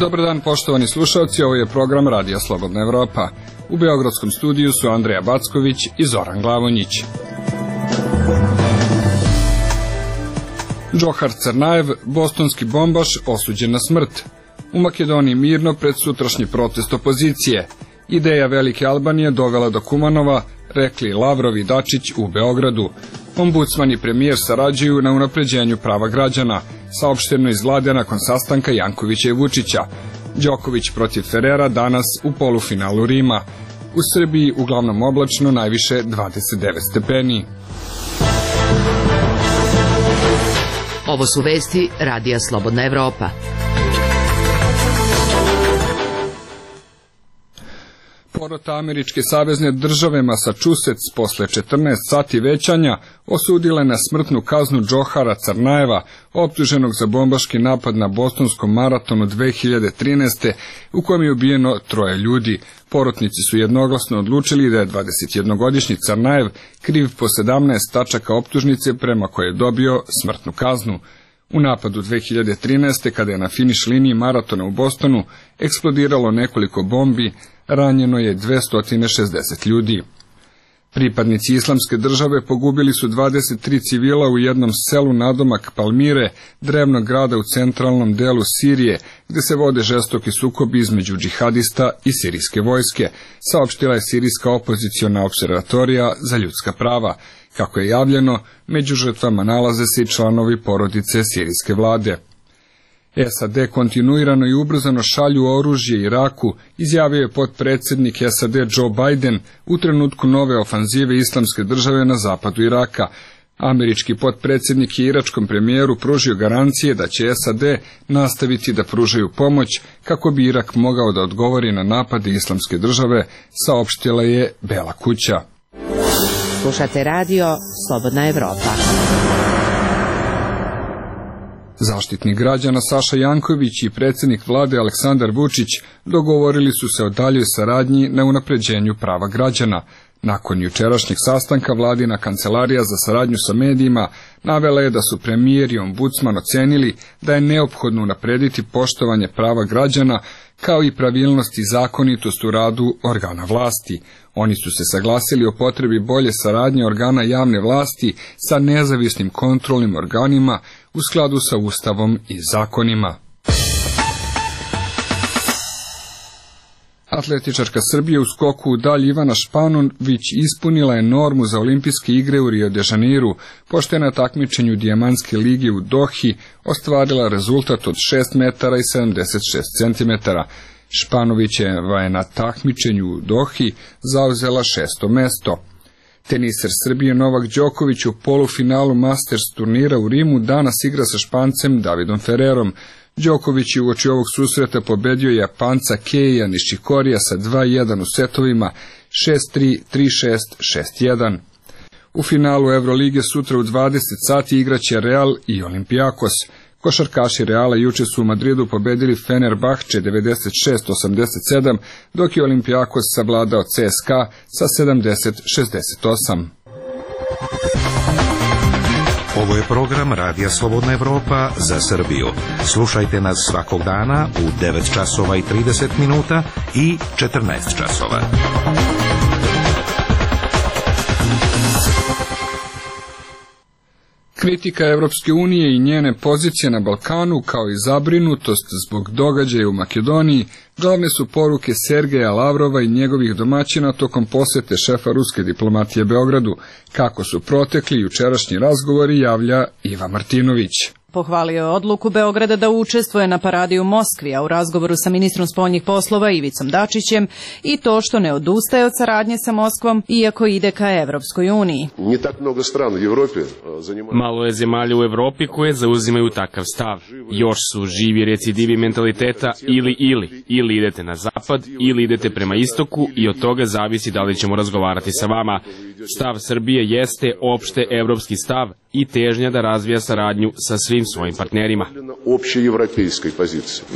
Dobar dan, poštovani slušalci, ovo je program Radija Slobodna Evropa. U beogradskom studiju su Andreja Backović i Zoran Glavonjić. Džohar Crnajev, bostonski bombaš, osuđen na smrt. U Makedoniji mirno pred sutrašnji protest opozicije. Ideja Velike Albanije dovela do Kumanova, rekli Lavrov i Dačić u Beogradu. Ombudsman i premijer sarađuju na unapređenju prava građana, saopšteno iz vlade nakon sastanka Jankovića i Vučića. Đoković protiv Ferrera danas u polufinalu Rima. U Srbiji uglavnom oblačno, najviše 29 stepeni. Ovo su vesti Radija Slobodna Evropa. Porota američke savezne države Massachusetts posle 14 sati većanja osudila na smrtnu kaznu Džohara Crnajeva, optuženog za bombaški napad na bostonskom maratonu 2013. u kojem je ubijeno 3 ljudi. Porotnici su jednoglasno odlučili da je 21-godišnji Crnajev kriv po 17 tačaka optužnice prema koje je dobio smrtnu kaznu. U napadu 2013. kada je na finiš liniji maratona u Bostonu eksplodiralo nekoliko bombi, ranjeno je 260 ljudi. Pripadnici Islamske države pogubili su 23 civila u jednom selu nadomak Palmire, drevnog grada u centralnom delu Sirije, gde se vode žestoki sukobi između džihadista i sirijske vojske, saopštila je sirijska opoziciona opservatorija za ljudska prava. Kako je javljeno, među žrtvama nalaze se i članovi porodice sirijske vlade. SAD kontinuirano i ubrzano šalju oružje Iraku, izjavio je potpredsjednik SAD Joe Biden u trenutku nove ofanzive Islamske države na zapadu Iraka. Američki potpredsjednik je iračkom premijeru pružio garancije da će SAD nastaviti da pružaju pomoć kako bi Irak mogao da odgovori na napade Islamske države, saopštila je Bela kuća. Slušate radio Slobodna Evropa. Zaštitnik građana Saša Janković i predsjednik vlade Aleksandar Vučić dogovorili su se o daljoj saradnji na unapređenju prava građana. Nakon jučerašnjeg sastanka vladina kancelarija za saradnju sa medijima navela je da su premijer i ombudsman ocenili da je neophodno unaprediti poštovanje prava građana kao i pravilnost i zakonitost u radu organa vlasti. Oni su se saglasili o potrebi bolje saradnje organa javne vlasti sa nezavisnim kontrolnim organima u skladu sa Ustavom i zakonima. Atletičarka Srbije u skoku u dalj Ivana Španović ispunila je normu za olimpijske igre u Rio de Janeiru, pošto je na takmičenju Dijamantske lige u Dohi ostvarila rezultat od 6 metara i 76 centimetara. Španovićeva je na takmičenju u Dohi zauzela 6. mesto. Teniser Srbije Novak Đoković u polufinalu Masters turnira u Rimu danas igra sa Špancem Davidom Ferrerom. Đoković je uoči ovog susreta pobedio Japanca Keija Nishikorija sa 2-1 u setovima 6-3, 3-6, 6-1. U finalu Evrolige sutra u 20 sati igraće Real i Olympiakos. Košarkaši Reala juče su u Madridu pobedili Fenerbahče 96-87, dok je Olympiakos savladao CSKA sa 70-68. Ovo je program Radija Slobodna Evropa za Srbiju. Slušajte nas svakog dana u 9 časova i 30 minuta i 14 časova. Kritika Evropske unije i njene pozicije na Balkanu, kao i zabrinutost zbog događaja u Makedoniji, glavne su poruke Sergeja Lavrova i njegovih domaćina tokom posete šefa ruske diplomatije Beogradu. Kako su protekli jučerašnji razgovori, javlja Iva Martinović. Pohvalio je odluku Beograda da učestvuje na paradi u Moskvi, a u razgovoru sa ministrom spoljnih poslova Ivicom Dačićem i to što ne odustaje od saradnje sa Moskvom, iako ide ka Evropskoj uniji. Malo je zemalja u Evropi koje zauzimaju takav stav. Još su živi recidivi mentaliteta ili idete na zapad ili idete prema istoku i od toga zavisi da li ćemo razgovarati sa vama. Stav Srbije jeste opšte evropski stav i težnja da razvija saradnju sa svim svojim partnerima.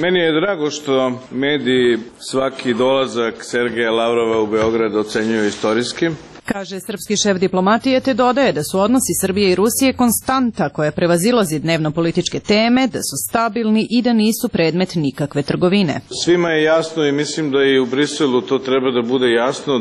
Meni je drago što mediji svaki dolazak Sergeja Lavrova u Beograd ocenjuju istorijski. Kaže srpski šef diplomatije, te dodaje da su odnosi Srbije i Rusije konstanta koja prevazilazi dnevno-političke teme, da su stabilni i da nisu predmet nikakve trgovine. Svima je jasno i mislim da i u Briselu to treba da bude jasno,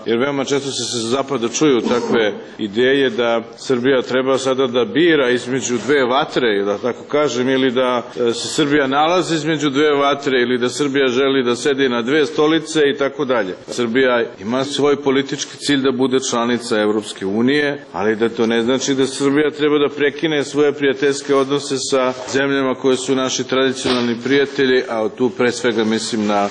jer veoma često se sa zapada čuju takve ideje da Srbija treba sada da bira između dve vatre, da tako kažem, ili da se Srbija nalazi između dve vatre, ili da Srbija želi da sedi na dve stolice i tako dalje. Srbija ima svoj politički cilj da bude članica Evropske unije, ali da to ne znači da Srbija treba da prekine svoje prijateljske odnose sa zemljama koje su naši tradicionalni prijatelji, a tu pre svega mislim na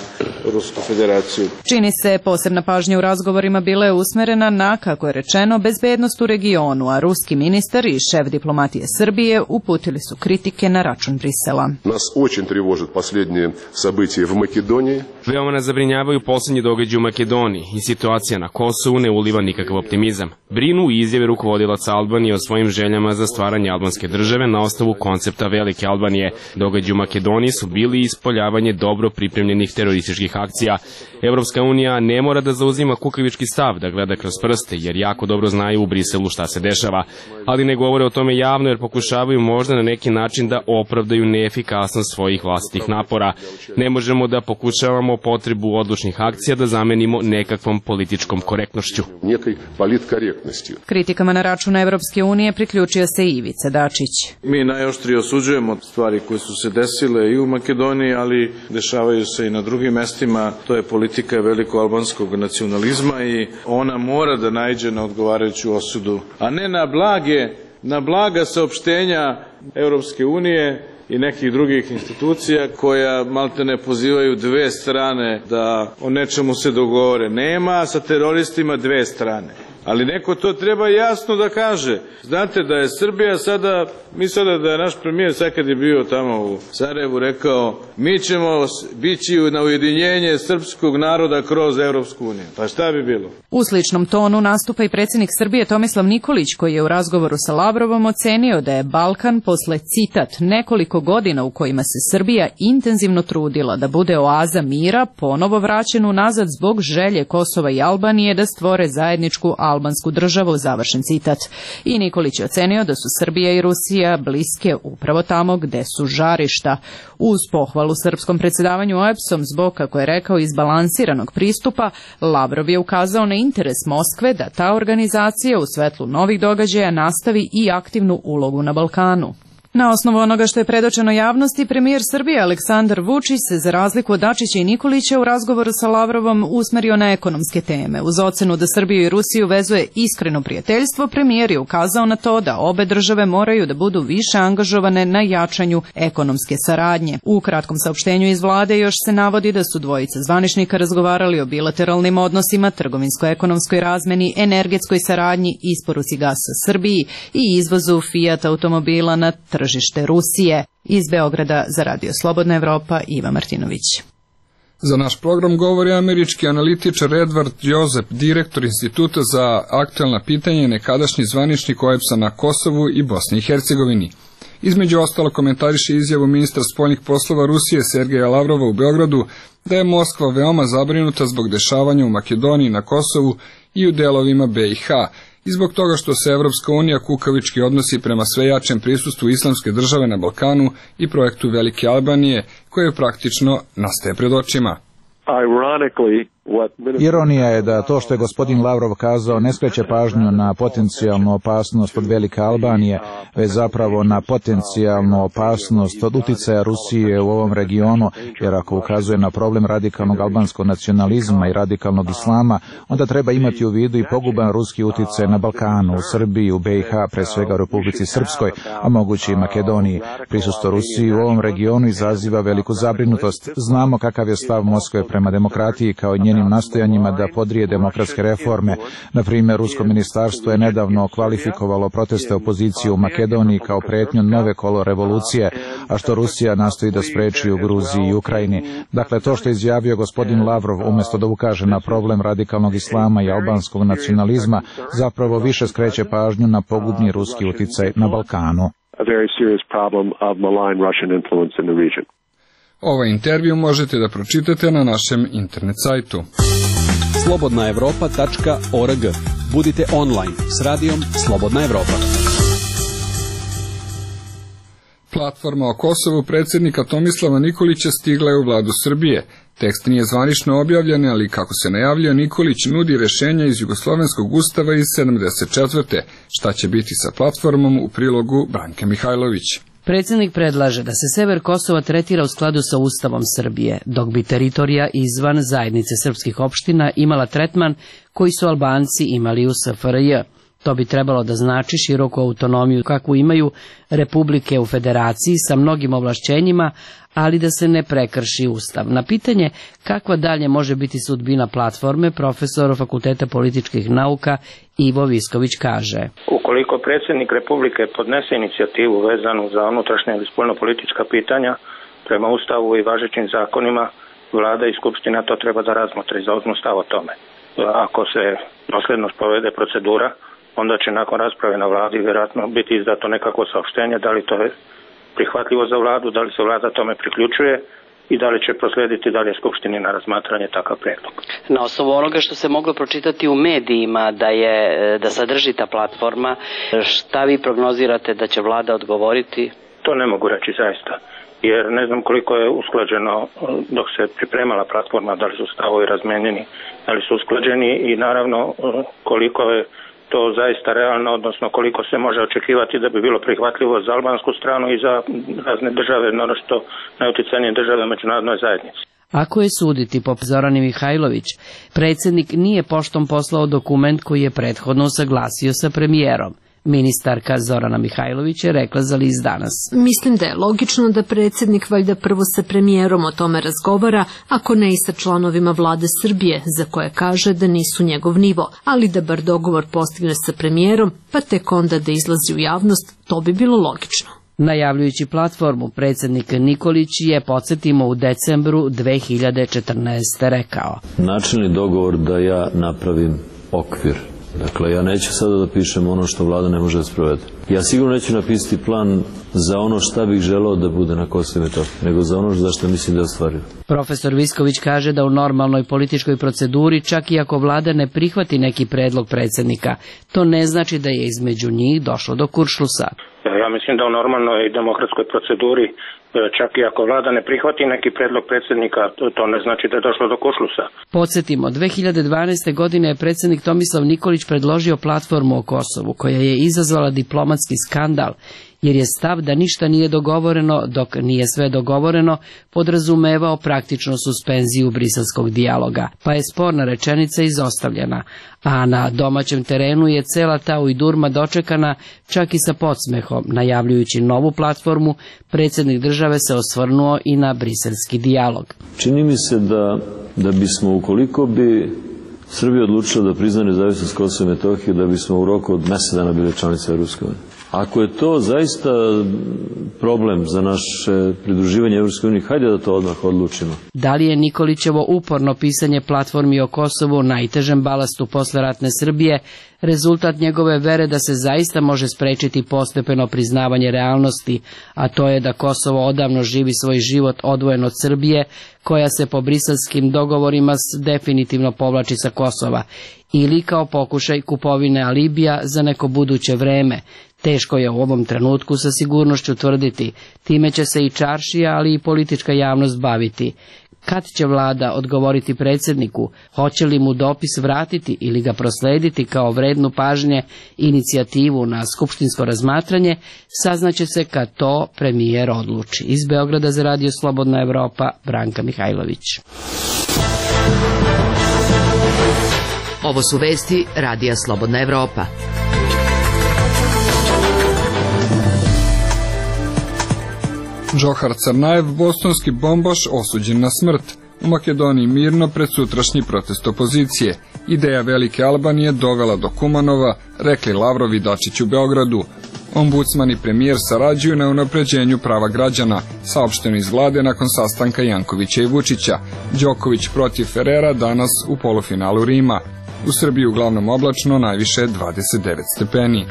Rusku federaciju. Čini se posebna pažnja u razgovorima bila je usmerena na, kako je rečeno, bezbednost u regionu, a ruski ministar i šef diplomatije Srbije uputili su kritike na račun Brisela. Nas очень тревожат последние события в Македонии. Veoma nas zabrinjavaju poslednji događaji u Makedoniji i situacija na Kosovu ne uliva nikakav optimizam. Brinu i izjave rukovodilaca Albanije o svojim željama za stvaranje albanske države na osnovu koncepta Velike Albanije. Događaji u Makedoniji su bili ispoljavanje dobro pripremljenih terorističkih akcija. Evropska unija ne mora da zauzima kukavički stav, da gleda kroz prste, jer jako dobro znaju u Briselu šta se dešava. Ali ne govore o tome javno jer pokušavaju možda na neki način da opravdaju neefikasnost svojih vlastitih napora. Ne možemo da pokušavamo potrebu odlučnih akcija da zamenimo nekakvom političkom korektnošću. Kritikama na račun Evropske unije priključio se i Ivica Dačić. Mi najoštrije osuđujemo stvari koje su se desile i u Makedoniji, ali dešavaju se i na drugim mestima. To je politika velikoalbanskog nacionalizma i ona mora da naiđe na odgovarajuću osudu, a ne na blaga saopštenja Evropske unije i nekih drugih institucija koja maltene pozivaju dve strane da o nečemu se dogovore. Nema sa teroristima dve strane. Ali neko to treba jasno da kaže. Znate da je Srbija sada, da je naš premijer sad kad je bio tamo u Sarajevu rekao, mi ćemo bići na ujedinjenje srpskog naroda kroz Evropsku uniju. Pa šta bi bilo? U sličnom tonu nastupa i predsjednik Srbije Tomislav Nikolić, koji je u razgovoru sa Lavrovom ocenio da je Balkan posle, citat, nekoliko godina u kojima se Srbija intenzivno trudila da bude oaza mira, ponovo vraćen unazad zbog želje Kosova i Albanije da stvore zajedničku albansku državu, završen citat. I Nikolić je ocenio da su Srbija i Rusija bliske upravo tamo gde su žarišta. Uz pohvalu srpskom predsjedavanju OEBS-om zbog, kako je rekao, izbalansiranog pristupa, Lavrov je ukazao na interes Moskve da ta organizacija u svetlu novih događaja nastavi i aktivnu ulogu na Balkanu. Na osnovu onoga što je predočeno javnosti, premijer Srbije Aleksandar Vučić se, za razliku od Dačića i Nikolića, u razgovoru sa Lavrovom usmerio na ekonomske teme. Uz ocenu da Srbiju i Rusiju vezuje iskreno prijateljstvo, premijer je ukazao na to da obe države moraju da budu više angažovane na jačanju ekonomske saradnje. U kratkom saopštenju iz vlade još se navodi da su dvojica zvaničnika razgovarali o bilateralnim odnosima, trgovinsko-ekonomskoj razmeni, energetskoj saradnji, isporuci gasa Srbiji i izvozu Fiat automobila na tržište Rusije. Iz Beograda za Radio Slobodna Evropa, Iva Martinović. Za naš program govori američki analitičar Edward Joseph, direktor Instituta za aktuelna pitanja i nekadašnji zvaničnik OEBS-a na Kosovu i Bosni i Hercegovini. Između ostalo komentariše izjavu ministra spoljnih poslova Rusije Sergeja Lavrova u Beogradu da je Moskva veoma zabrinuta zbog dešavanja u Makedoniji, na Kosovu i u delovima BiH, i zbog toga što se Evropska unija kukavički odnosi prema sve jačem prisustvu islamske države na Balkanu i projektu Velike Albanije, koje praktično nastaje pred očima. Ironija je da to što je gospodin Lavrov kazao ne skreće pažnju na potencijalnu opasnost od Velike Albanije, već zapravo na potencijalnu opasnost od uticaja Rusije u ovom regionu, jer ako ukazuje na problem radikalnog albanskog nacionalizma i radikalnog islama, onda treba imati u vidu i poguban ruski uticaj na Balkanu, u Srbiji, u BiH, pre svega u Republici Srpskoj, a moguće i Makedoniji. Prisustvo Rusije u ovom regionu izaziva veliku zabrinutost. Znamo kakav je stav Moskve prema demokratiji kao njenim nastojanjima da podrije demokratske reforme. Na primjer, rusko ministarstvo je nedavno kvalifikovalo proteste opozicije u Makedoniji kao pretnju nove kolo revolucije, a što Rusija nastoji da spreči u Gruziji i Ukrajini. Dakle, to što je izjavio gospodin Lavrov, umjesto da ukaže na problem radikalnog islama i albanskog nacionalizma, zapravo više skreće pažnju na pogubni ruski uticaj na Balkanu. Ovaj intervju možete da pročitate na našem internet sajtu. slobodnaevropa.org. Budite online s radijom Slobodna Evropa. Platforma o Kosovu predsjednika Tomislava Nikolića stigla je u vladu Srbije. Tekst nije zvanično objavljen, ali kako se najavljuje, Nikolić nudi rješenja iz Jugoslovenskog ustava iz 74. Šta će biti sa platformom, u prilogu Branke Mihajlović. Predsjednik predlaže da se sever Kosova tretira u skladu sa Ustavom Srbije, dok bi teritorija izvan zajednice srpskih opština imala tretman koji su Albanci imali u SFRJ. To bi trebalo da znači široku autonomiju kakvu imaju republike u federaciji sa mnogim ovlašćenjima, ali da se ne prekrši Ustav. Na pitanje kakva dalje može biti sudbina platforme, profesor Fakulteta političkih nauka Ivo Visković kaže: Ukoliko predsjednik Republike podnese inicijativu vezanu za unutrašnje ili spoljnopolitička pitanja, prema Ustavu i važećim zakonima, vlada i skupština to treba da razmotre i zauzmu stav o tome. Ako se dosledno sprovede procedura, onda će nakon rasprave na vladi vjerojatno biti izdato nekako saopštenje, da li to je prihvatljivo za vladu, da li se vlada tome priključuje i da li će proslijediti dalje skupštini na razmatranje takav predlog. Na osnovu onoga što se moglo pročitati u medijima da sadrži ta platforma, šta vi prognozirate da će vlada odgovoriti? To ne mogu reći zaista, jer ne znam koliko je usklađeno dok se pripremala platforma, da li su stavovi razmenjeni, da li su usklađeni i naravno koliko je to zaista realno, odnosno koliko se može očekivati da bi bilo prihvatljivo za albansku stranu i za razne države, naročito najuticajnije države u međunarodnoj zajednici. Ako je suditi po Zorani Mihajlović, predsjednik nije poštom poslao dokument koji je prethodno usaglasio sa premijerom. Ministarka Zorana Mihajlović je rekla za list Danas: Mislim da je logično da predsjednik valjda prvo sa premijerom o tome razgovara, ako ne i sa članovima vlade Srbije, za koje kaže da nisu njegov nivo, ali da bar dogovor postigne sa premijerom, pa tek onda da izlazi u javnost, to bi bilo logično. Najavljujući platformu, predsjednik Nikolić je, podsjetimo, u decembru 2014. rekao: Načelni dogovor da ja napravim okvir. Dakle, ja neću sada da pišem ono što vlada ne može da sprovede. Ja sigurno neću napisati plan za ono šta bih želeo da bude na Kosovu i Metohiji, nego za ono za što mislim da je ostvario. Profesor Visković kaže da u normalnoj političkoj proceduri, čak i ako vlada ne prihvati neki predlog predsjednika, to ne znači da je između njih došlo do kuršlusa. Ja mislim da u normalnoj demokratskoj proceduri, čak i ako vlada ne prihvati neki predlog predsjednika, to ne znači da je došlo do kuršlusa. Podsjetimo, 2012. godine je predsjednik Tomislav Nikolić predložio platformu o Kosovu, koja je izazvala diplomatski skandal, jer je stav da ništa nije dogovoreno, dok nije sve dogovoreno, podrazumevao praktično suspenziju briselskog dijaloga, pa je sporna rečenica izostavljena, a na domaćem terenu je cela ta ujdurma dočekana čak i sa podsmehom. Najavljujući novu platformu, predsjednik države se osvrnuo i na briselski dijalog. Čini mi se da bismo, ukoliko bi Srbija odlučila da prizna nezavisnost Kosova i Metohije, da bismo u roku od mjesec dana bili članice Europske unije. Ako je to zaista problem za naše pridruživanje Europskoj uniji, hajde da to odmah odlučimo. Da li je Nikolićevo uporno pisanje platformi o Kosovu, najtežem balastu posleratne Srbije, rezultat njegove vere da se zaista može sprečiti postepeno priznavanje realnosti, a to je da Kosovo odavno živi svoj život odvojen od Srbije, koja se po briselskim dogovorima definitivno povlači sa Kosova, ili kao pokušaj kupovine alibija za neko buduće vreme. Teško je u ovom trenutku sa sigurnošću tvrditi, time će se i čaršija, ali i politička javnost baviti. Kad će vlada odgovoriti predsjedniku, hoće li mu dopis vratiti ili ga proslediti kao vrednu pažnje inicijativu na skupštinsko razmatranje, saznaće se kad to premijer odluči. Iz Beograda za Radio Slobodna Evropa, Branka Mihajlović. Ovo su vesti Radija Slobodna Evropa. Džohar Crnajev, bostonski bombaš, osuđen na smrt. U Makedoniji mirno pred sutrašnji protest opozicije. Ideja Velike Albanije dovela do Kumanova, rekli Lavrov i Dačić u Beogradu. Ombudsman i premijer sarađuju na unapređenju prava građana, saopšteno iz vlade nakon sastanka Jankovića i Vučića. Đoković protiv Ferrera danas u polufinalu Rima. U Srbiji uglavnom oblačno, najviše 29 stepeni.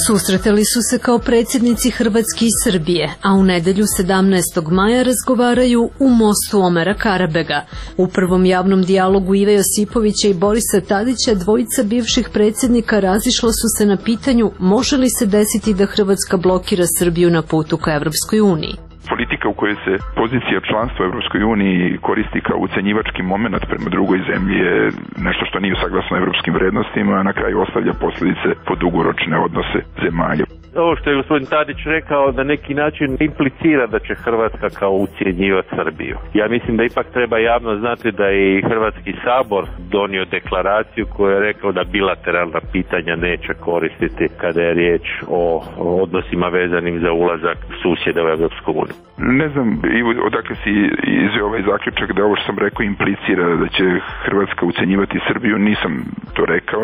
Susretali su se kao predsjednici Hrvatske i Srbije, a u nedelju 17. maja razgovaraju u mostu Omera Karabega. U prvom javnom dijalogu Ive Josipovića i Borisa Tadića dvojica bivših predsjednika razišla su se na pitanju može li se desiti da Hrvatska blokira Srbiju na putu ka Evropskoj uniji. Politika u kojoj se pozicija članstva u Evropskoj uniji koristi kao ucenjivački moment prema drugoj zemlji je nešto što nije saglasno evropskim vrednostima, a na kraju ostavlja posljedice po dugoročne odnose zemalja. Ovo što je gospodin Tadić rekao na neki način implicira da će Hrvatska kao ucjenjivati Srbiju. Ja mislim da ipak treba javno znati da je i Hrvatski sabor donio deklaraciju koju je rekao da bilateralna pitanja neće koristiti kada je riječ o odnosima vezanim za ulazak susjeda u Evropsku uniju. Ne znam odakle si izveo ovaj zaključak da ovo što sam rekao implicira da će Hrvatska ucenjivati Srbiju, nisam to rekao.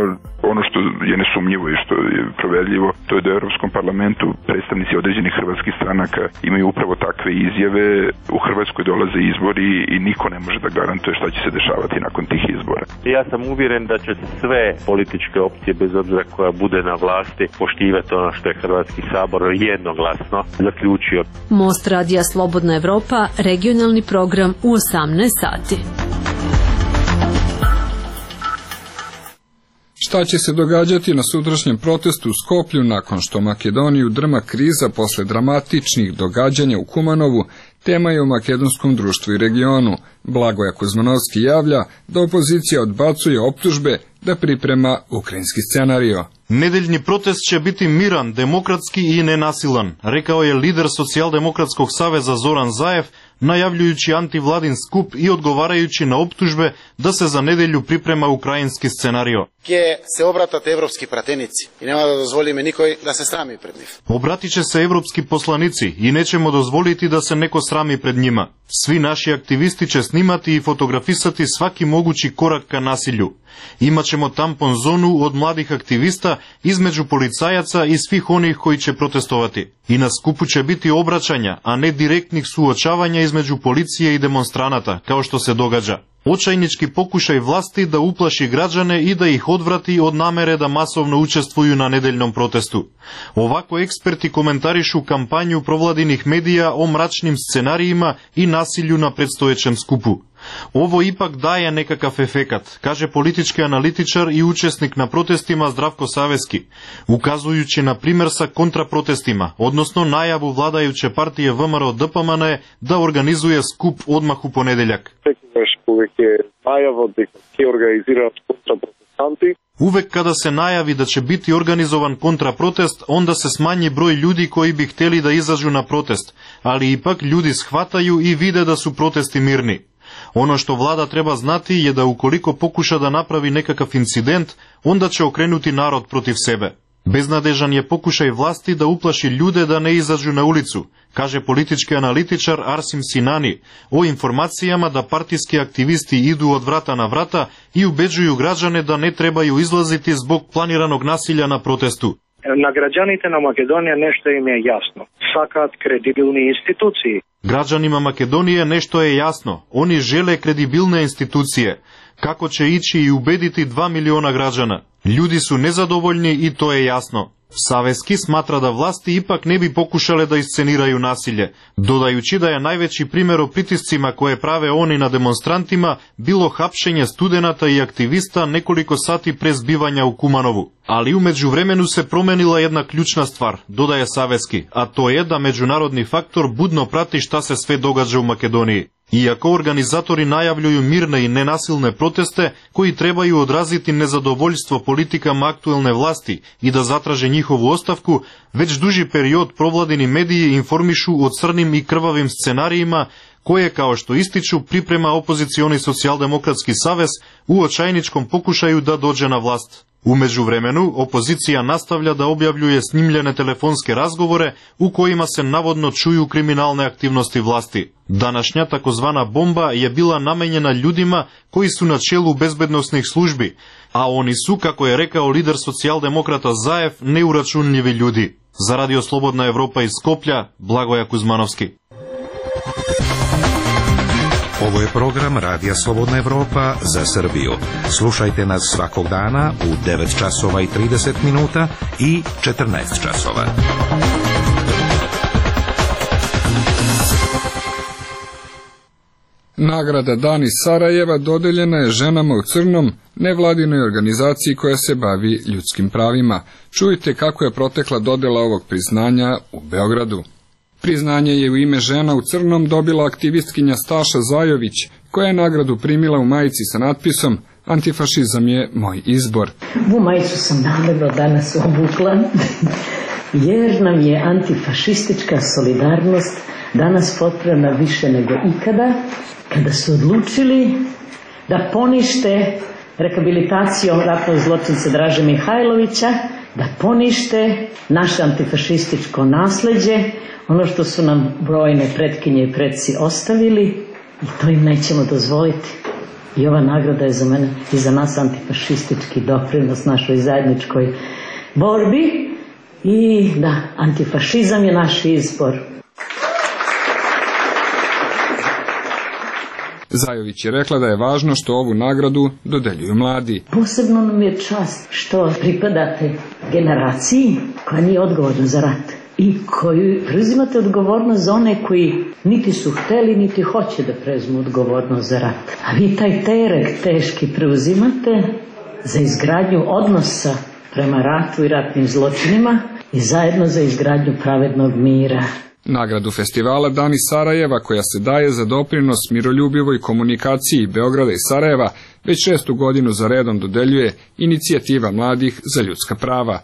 Ono što je nesumnjivo i što je proverljivo, to je da u Europskom parlamentu predstavnici određenih hrvatskih stranaka imaju upravo takve izjave. U Hrvatskoj dolaze izbori i niko ne može da garantuje šta će se dešavati nakon tih izbora. Ja sam uvjeren da će sve političke opcije, bez obzira koja bude na vlasti, poštivati ono što je Hrvatski sabor jednoglasno zaključio. Most radija Slobodna Evropa, regionalni program u 18 sati. Šta će se događati na sutrašnjem protestu u Skoplju nakon što Makedoniju drma kriza posle dramatičnih događanja u Kumanovu, tema je u makedonskom društvu i regionu. Blagoja Kuzmanovski javlja da opozicija odbacuje optužbe da priprema ukrajinski scenario. Nedeljni protest će biti miran, demokratski i nenasilan, rekao je lider Socijaldemokratskog saveza Zoran Zaev, najavljujući antivladin skup i odgovarajući na optužbe da se za nedelju priprema ukrajinski scenario. Ќе се обратат европски пратеници и нема да дозволиме никој да се срами пред нив. Obratit će se evropski poslanici i nećemo dozvoliti da se neko srami pred njima. Svi naši aktivisti će snimati i fotografisati svaki mogući korak ka nasilju. Imaćemo tampon zonu od mladih aktivista između policajaca i svih onih koji će protestovati. I na skupu će biti obraćanja, a ne direktnih suočavanja između policije i demonstranata, kao što se događa. Očajnički pokušaj vlasti da uplaši građane i da ih odvrati od namere da masovno učestvuju na nedeljnom protestu. Ovako eksperti komentarišu kampanju provladinih medija o mračnim scenarijima i nasilju na predstojećem skupu. Ovo ipak daje nekakav efekat, kaže politički analitičar i učesnik na protestima Zdravko Saveski, ukazujući na primjer sa kontraprotestima, odnosno najavu vladajuće partije VMRO DPMN da organizuje skup odmah u ponedeljak. Uvek kada se najavi da će biti organizovan kontraprotest, onda se smanji broj ljudi koji bi htjeli da izađu na protest, ali ipak ljudi shvataju i vide da su protesti mirni. Ono što vlada treba znati je da ukoliko pokuša da napravi nekakav incident, onda će okrenuti narod protiv sebe. Beznadežan je pokušaj vlasti da uplaši ljude da ne izađu na ulicu, kaže politički analitičar Arsim Sinani, o informacijama da partijski aktivisti idu od vrata na vrata i ubeđuju građane da ne trebaju izlaziti zbog planiranog nasilja na protestu. Na građanite na Makedonija nešto im je jasno. Sakат kredibilni instituciji. Građanima Makedonije nešto je jasno. Oni žele kredibilne institucije. Kako će ići i ubediti 2 miliona građana? Ljudi su nezadovoljni i to je jasno. Saveski smatra da vlasti ipak ne bi pokušale da isceniraju nasilje, dodajući da je najveći primjer o pritiscima koje prave oni na demonstrantima bilo hapšenje studenata i aktivista nekoliko sati pre zbivanja u Kumanovu. Ali u međuvremenu se promenila jedna ključna stvar, dodaje Saveski, a to je da međunarodni faktor budno prati šta se sve događa u Makedoniji. Iako organizatori najavljuju mirne i nenasilne proteste koji trebaju odraziti nezadovoljstvo politikama aktuelne vlasti i da zatraže njihovu ostavku, već duži period provladini mediji informišu o crnim i krvavim scenarijima koje, kao što ističu, priprema opozicioni Socijaldemokratski savez u očajničkom pokušaju da dođe na vlast. U međuvremenu, opozicija nastavlja da objavljuje snimljene telefonske razgovore u kojima se navodno čuju kriminalne aktivnosti vlasti. Današnja takozvana bomba je bila namenjena ljudima koji su na čelu bezbednosnih službi, a oni su, kako je rekao lider socijaldemokrata Zaev, neuračunljivi ljudi. Za Radio Slobodna Evropa iz Skoplja, Blagoja Kuzmanovski. Ovo je program Radija Slobodna Evropa za Srbiju. Slušajte nas svakog dana u 9 časova i 30 minuta i 14 časova. Nagrada Dan iz Sarajeva dodeljena je Ženama u crnom, nevladinoj organizaciji koja se bavi ljudskim pravima. Čujte kako je protekla dodela ovog priznanja u Beogradu. Priznanje je u ime Žena u crnom dobila aktivistkinja Staša Zajović, koja je nagradu primila u majici sa natpisom "Antifašizam je moj izbor". Ovu majicu sam namerno danas obukla, jer nam je antifašistička solidarnost danas potrebna više nego ikada, kada su odlučili da ponište rehabilitacijom ratnog zločinca Draže Mihajlovića, da ponište naše antifašističko nasleđe, ono što su nam brojne pretkinje i preci ostavili, i to im nećemo dozvoliti. I ova nagrada je za mene i za nas antifašistički doprinos našoj zajedničkoj borbi. I da, antifašizam je naš izbor. Zajović je rekla da je važno što ovu nagradu dodeljuju mladi. Posebno nam je čast što pripadate generaciji koja nije odgovorna za rat i koju preuzimate odgovornost za one koji niti su hteli, niti hoće da preuzmu odgovornost za rat. A vi taj teret teški preuzimate za izgradnju odnosa prema ratu i ratnim zločinima i zajedno za izgradnju pravednog mira. Nagradu festivala Dan iz Sarajeva, koja se daje za doprinos miroljubivoj komunikaciji Beograda i Sarajeva, već 6. godinu za redom dodeljuje Inicijativa mladih za ljudska prava.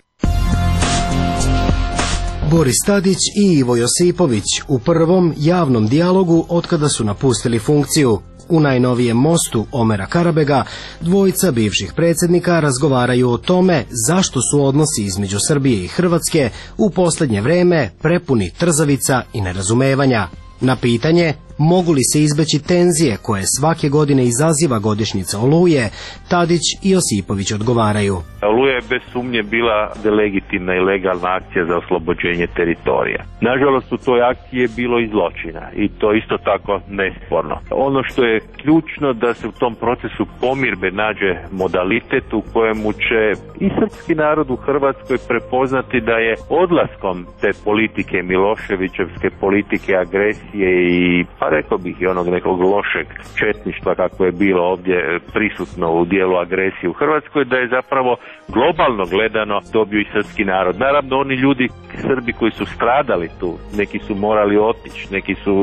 Boris Tadić i Ivo Josipović u prvom javnom dijalogu otkada su napustili funkciju. U najnovijem mostu Omera Karabega dvojica bivših predsjednika razgovaraju o tome zašto su odnosi između Srbije i Hrvatske u posljednje vreme prepuni trzavica i nerazumevanja. Na pitanje mogu li se izbeći tenzije koje svake godine izaziva godišnjica Oluje, Tadić i Josipović odgovaraju. Oluja je bez sumnje bila legitimna i legalna akcija za oslobođenje teritorija. Nažalost, u toj akciji je bilo i zločina i to isto tako nesporno. Ono što je ključno da se u tom procesu pomirbe nađe modalitet u kojemu će i srpski narod u Hrvatskoj prepoznati da je odlaskom te politike, Miloševićevske politike, agresije i pa rekao bih i onog nekog lošeg četništva kako je bilo ovdje prisutno u dijelu agresije u Hrvatskoj, da je zapravo globalno gledano dobio i srpski narod. Naravno, oni ljudi, Srbi koji su stradali tu, neki su morali otići, neki su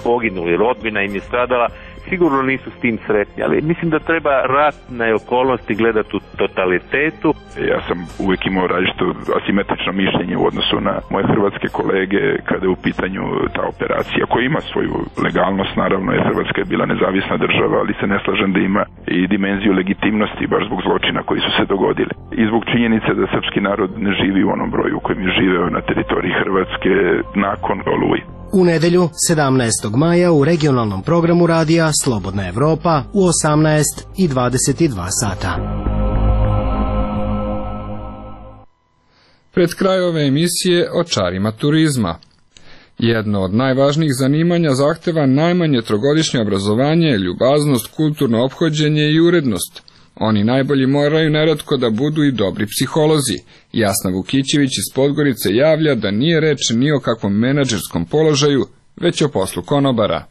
poginuli, rodbina im je stradala, sigurno nisu s tim sretni, ali mislim da treba ratne okolnosti gledati u totalitetu. Ja sam uvijek imao različito asimetrično mišljenje u odnosu na moje hrvatske kolege kada je u pitanju ta operacija koja ima svoju legalnost, naravno, jer Hrvatska je bila nezavisna država, ali se ne slažem da ima i dimenziju legitimnosti baš zbog zločina koji su se dogodili. I zbog činjenice da srpski narod ne živi u onom broju u kojem je živeo na teritoriji Hrvatske nakon Oluje. U nedelju, 17. maja, u regionalnom programu radija Slobodna Evropa u 18:22 sata. Pred kraj ove emisije o čarima turizma. Jedno od najvažnijih zanimanja zahteva najmanje trogodišnje obrazovanje, ljubaznost, kulturno ophođenje i urednost. Oni najbolji moraju neretko da budu i dobri psiholozi. Jasna Vukićević iz Podgorice javlja da nije reč ni o kakvom menadžerskom položaju, već o poslu konobara.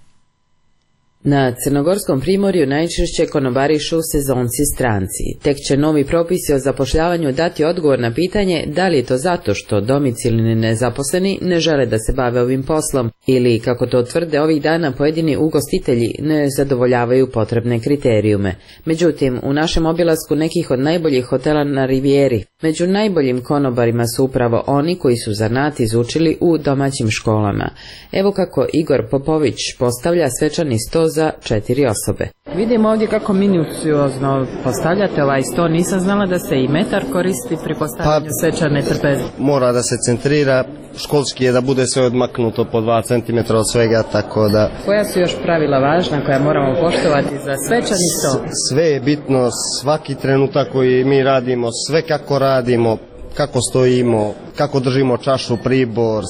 Na Crnogorskom primorju najčešće konobarišu sezonci stranci. Tek će novi propisi o zapošljavanju dati odgovor na pitanje da li je to zato što domicilni nezaposleni ne žele da se bave ovim poslom ili, kako to tvrde ovih dana, pojedini ugostitelji ne zadovoljavaju potrebne kriterijume. Međutim, u našem obilasku nekih od najboljih hotela na Rivijeri, među najboljim konobarima su upravo oni koji su zanat izučili u domaćim školama. Evo kako Igor Popović postavlja svečani sto za 4 osobe. Vidimo ovdje kako minuciozno postavljate ovaj sto. Nisam znala da se i metar koristi pri postavljanju svečane trpeze. Mora da se centrira, školski je da bude sve odmaknuto po 2 cm od svega, tako da... Koja su još pravila važna koja moramo poštovati za svečani sto? Sve je bitno, svaki trenutak koji mi radimo, sve kako radimo, kako stojimo, kako držimo čašu, pribor,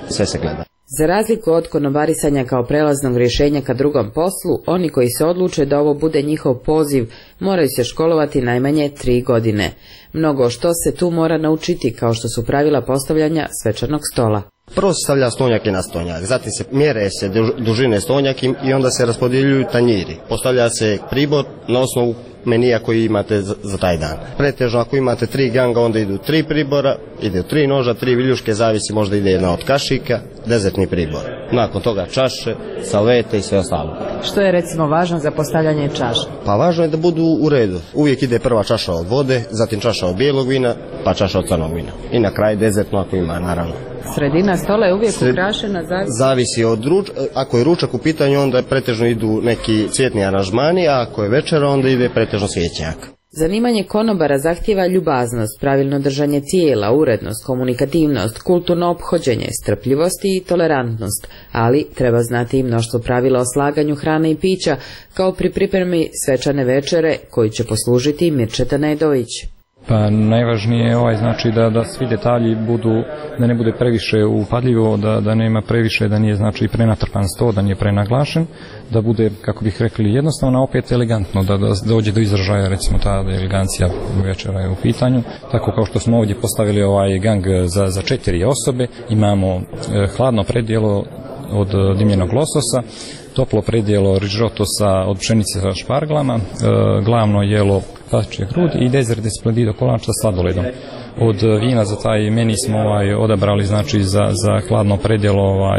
sve se gleda. Za razliku od konobarisanja kao prelaznog rješenja ka drugom poslu, oni koji se odluče da ovo bude njihov poziv moraju se školovati najmanje 3 godine. Mnogo što se tu mora naučiti, kao što su pravila postavljanja svečanog stola. Prvo se stavlja stonjak i na stonjak, zatim se mjere se dužine stonjak i onda se raspodjeljuju tanjiri. Postavlja se pribor na osnovu menija koji imate za taj dan. Pretežno ako imate 3 ganga, onda idu 3 pribora, ide 3 noža, 3 viljuške, zavisi, možda ide jedna od kašika, dezertni pribor. Nakon toga čaše, salvete i sve ostalo. Što je recimo važno za postavljanje čaša? Pa važno je da budu u redu. Uvijek ide prva čaša od vode, zatim čaša od bijelog vina, pa čaša od crnog vina. I na kraju dezertno ako ima, naravno. Sredina stola je uvijek ukrašena? Zavisi od ako je ručak u pitanju, onda pretežno idu neki cvjetni aranžmani, a ako je večera, onda ide pretežno cvijećnjak. Zanimanje konobara zahtijeva ljubaznost, pravilno držanje tijela, urednost, komunikativnost, kulturno ophođenje, strpljivost i tolerantnost, ali treba znati i mnoštvo pravila o slaganju hrane i pića, kao pri pripremi svečane večere koju će poslužiti Mirčeta Nedović. Pa najvažnije je znači da svi detalji budu, da ne bude previše upadljivo, da nema previše, da nije znači prenatrpan sto, da nije prenaglašen, da bude, kako bih rekli, jednostavno, opet elegantno, da dođe do izražaja, recimo ta elegancija večera je u pitanju. Tako kao što smo ovdje postavili ovaj gang za 4 osobe, imamo hladno predjelo od dimljenog lososa, toplo predjelo rižotosa od pšenice sa šparglama, glavno jelo pašče grudi i dezert de splendido kolač sa sladoledom. Od vina za taj meni smo odabrali znači za hladno predjelo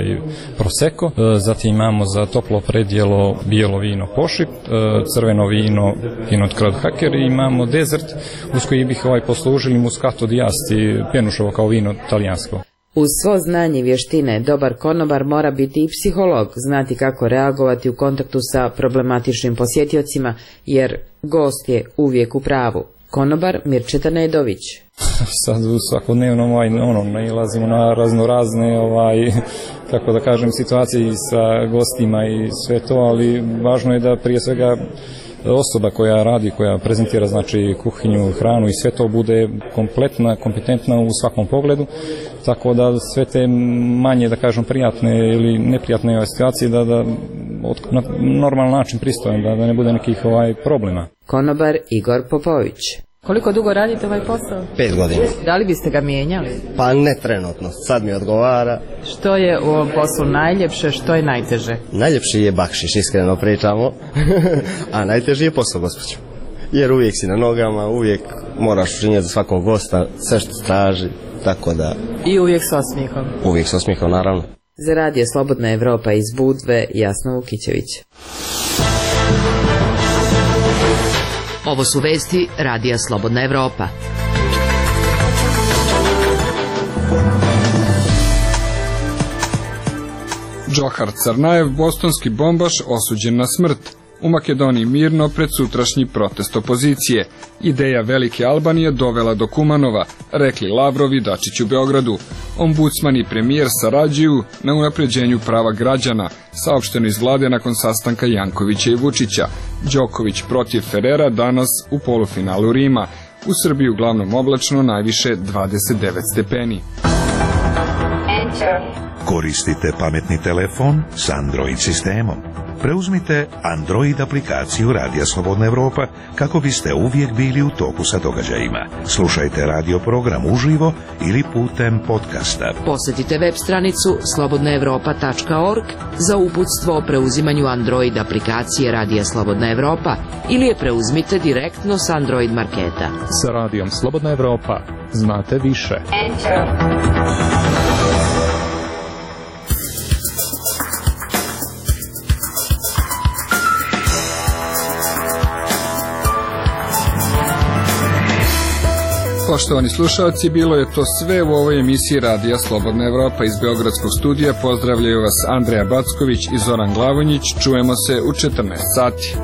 prosecco, zatim imamo za toplo predjelo bijelo vino pošip, crveno vino pinot haker i imamo dezert uz koji bih poslužili muscato di Asti, pjenušovo kao vino talijansko. Uz svo znanje i vještine, dobar konobar mora biti i psiholog, znati kako reagovati u kontaktu sa problematičnim posjetiocima, jer gost je uvijek u pravu. Konobar Mirčeta Nedović. Sad u svakodnevnom nailazimo na raznorazne kako da kažem situacije sa gostima i sve to, ali važno je da prije svega osoba koja radi, koja prezentira znači kuhinju, hranu i sve to bude kompletna, kompetentna u svakom pogledu, tako da sve te manje, da kažem, prijatne ili neprijatne situacije da na normalan način pristojan, da ne bude nekih problema. Konobar Igor Popović. Koliko dugo radite ovaj posao? 5 godina. Da li biste ga mijenjali? Pa ne trenutno, sad mi odgovara. Što je u ovom poslu najljepše, što je najteže? Najljepši je bakšiš, iskreno pričamo, a najteži je posao, gospođo. Jer uvijek si na nogama, uvijek moraš učinjeti za svakog gosta sve što traži, tako da... I uvijek s osmijehom? Uvijek s osmijehom, naravno. Za Radio Slobodna Evropa iz Budve, Jasna Vukićević. Ovo su vesti Radija Slobodna Evropa. Džohar Carnajev, bostonski bombaš, osuđen na smrt. U Makedoniji mirno pred sutrašnji protest opozicije. Ideja Velike Albanije dovela do Kumanova, rekli Lavrov i Dačić u Beogradu. Ombudsman i premijer sarađuju na unapređenju prava građana, saopšteno iz vlade nakon sastanka Jankovića i Vučića. Đoković protiv Ferrera danas u polufinalu Rima. U Srbiji uglavnom oblačno, najviše 29 stepeni. Koristite pametni telefon s Android sistemom. Preuzmite Android aplikaciju Radija Slobodna Evropa kako biste uvijek bili u toku sa događajima. Slušajte radio program uživo ili putem podcasta. Posjetite web stranicu slobodnaevropa.org za uputstvo o preuzimanju Android aplikacije Radija Slobodna Evropa ili je preuzmite direktno s Android marketa. Sa Radijom Slobodna Evropa znate više. Poštovani slušalci, bilo je to sve u ovoj emisiji Radija Slobodna Evropa. Iz Beogradskog studija pozdravljaju vas Andreja Backović i Zoran Glavonjić. Čujemo se u 14 sati.